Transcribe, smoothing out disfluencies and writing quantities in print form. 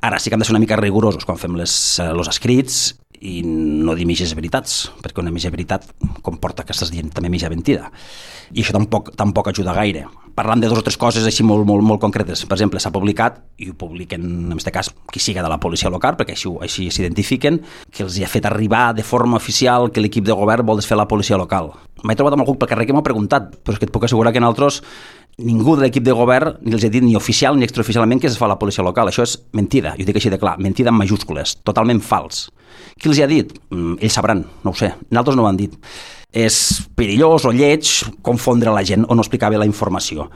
Ara sí que hem de ser una mica rigorosos quan fem els escrits i no dir mitges veritats, perquè una mitja veritat comporta que estàs dient també mitja mentida. I això tampoc ajuda gaire. Parlant de 2 o 3 coses així molt concretes. Per exemple, s'ha publicat, i ho publiquen en aquest cas qui siga de la policia local, perquè així s'identifiquen, que els hi ha fet arribar de forma oficial que l'equip de govern vol desfer la policia local. M'he trobat amb algú pel carrer que m'ha preguntat, però és que et puc assegurar que nosaltres ningú de l'equip de govern ni els ha dit ni oficial ni extraoficialment que es fa la policia local. Això és mentida, jo dic així de clar, mentida en majúscules, totalment fals. Qui els hi ha dit? Ells sabran, no ho sé, nosaltres no ho han dit. És perillós o lleig confondre la gent o no explicar bé la informació.